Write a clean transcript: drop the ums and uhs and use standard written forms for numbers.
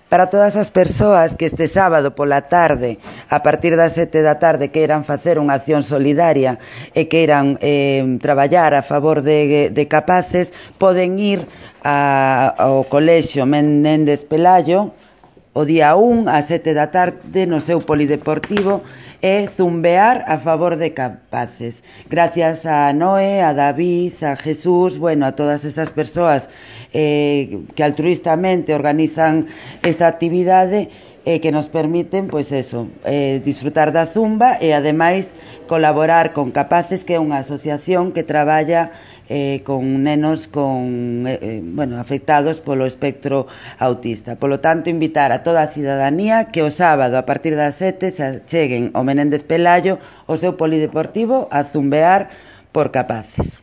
Para todas as persoas que este sábado pola tarde, a partir das 7 da tarde, queiran facer unha acción solidaria e queiran traballar a favor de capaces, poden ir ao Colexio Menéndez Pelayo o día 1 a 7 da tarde no seu polideportivo e zumbear a favor de capaces. Gracias a Noé, a David, a Jesús, a todas esas persoas que altruistamente organizan esta actividade que nos permiten, disfrutar da zumba e ademais colaborar con Capaces, que é unha asociación que traballa con nenos afectados polo espectro autista. Polo tanto, invitar a toda a cidadanía que o sábado a partir das 7 se cheguen ao Menéndez Pelayo o seu polideportivo a zumbear por Capaces.